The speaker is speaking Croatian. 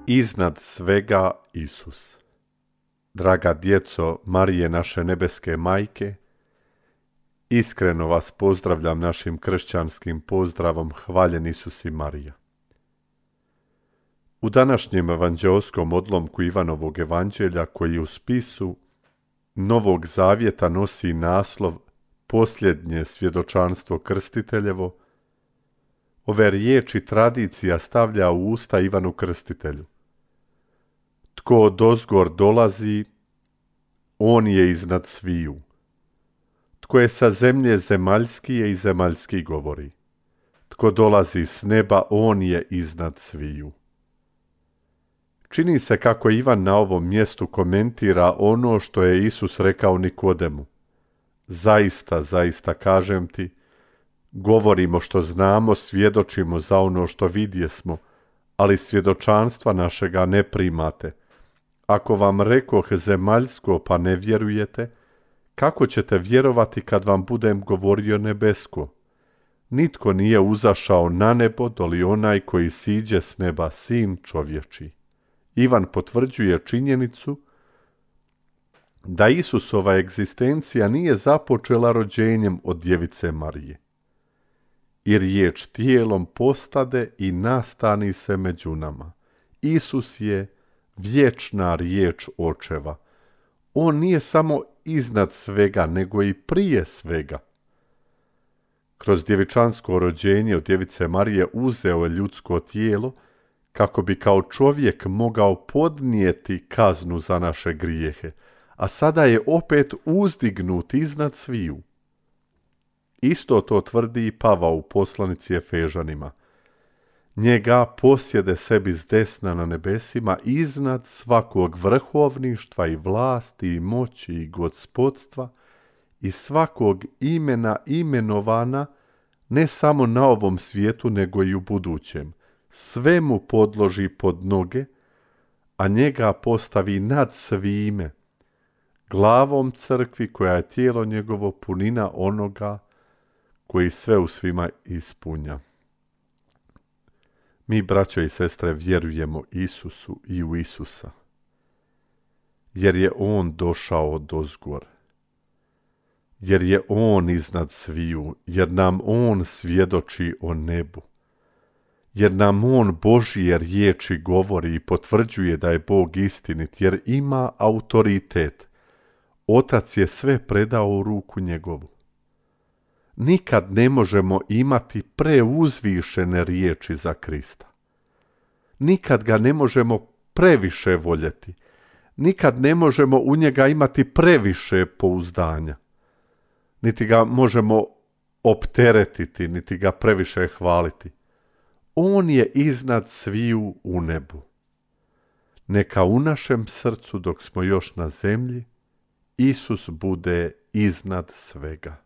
Iznad svega Isus. Draga djeco Marije naše nebeske majke, iskreno vas pozdravljam našim kršćanskim pozdravom hvaljen Isus i Marija. U današnjem evanđeoskom odlomku Ivanovog evanđelja, koji u spisu Novog Zavjeta nosi naslov Posljednje svjedočanstvo krstiteljevo, ove riječi tradicija stavlja u usta Ivanu Krstitelju. Tko odozgor dolazi, on je iznad sviju. Tko je sa zemlje zemaljski je i zemaljski govori. Tko dolazi s neba, on je iznad sviju. Čini se kako Ivan na ovom mjestu komentira ono što je Isus rekao Nikodemu. Zaista, zaista kažem ti, govorimo što znamo, svjedočimo za ono što vidjesmo, ali svjedočanstva našega ne primate. Ako vam rekoh zemaljsko pa ne vjerujete, kako ćete vjerovati kad vam budem govorio nebesko? Nitko nije uzašao na nebo doli onaj koji siđe s neba, sin čovječji. Ivan potvrđuje činjenicu da Isusova egzistencija nije započela rođenjem od djevice Marije. I riječ tijelom postade i nastani se među nama. Isus je vječna riječ očeva. On nije samo iznad svega, nego i prije svega. Kroz djevičansko rođenje od djevice Marije uzeo je ljudsko tijelo kako bi kao čovjek mogao podnijeti kaznu za naše grijehe, a sada je opet uzdignut iznad sviju. Isto to tvrdi i Pavao u poslanici Efežanima. Njega posjede sebi zdesna na nebesima iznad svakog vrhovništva i vlasti i moći i gospodstva i svakog imena imenovana ne samo na ovom svijetu nego i u budućem. Sve mu podloži pod noge, a njega postavi nad svime, glavom crkvi koja je tijelo njegovo, punina onoga koji sve u svima ispunja. Mi, braćo i sestre, vjerujemo Isusu i u Isusa, jer je On došao odozgor, jer je On iznad sviju, jer nam On svjedoči o nebu, jer nam On Božje riječi govori i potvrđuje da je Bog istinit, jer ima autoritet. Otac je sve predao u ruku njegovu. Nikad ne možemo imati preuzvišene riječi za Krista. Nikad ga ne možemo previše voljeti. Nikad ne možemo u njega imati previše pouzdanja. Niti ga možemo opteretiti, niti ga previše hvaliti. On je iznad sviju u nebu. Neka u našem srcu, dok smo još na zemlji, Isus bude iznad svega.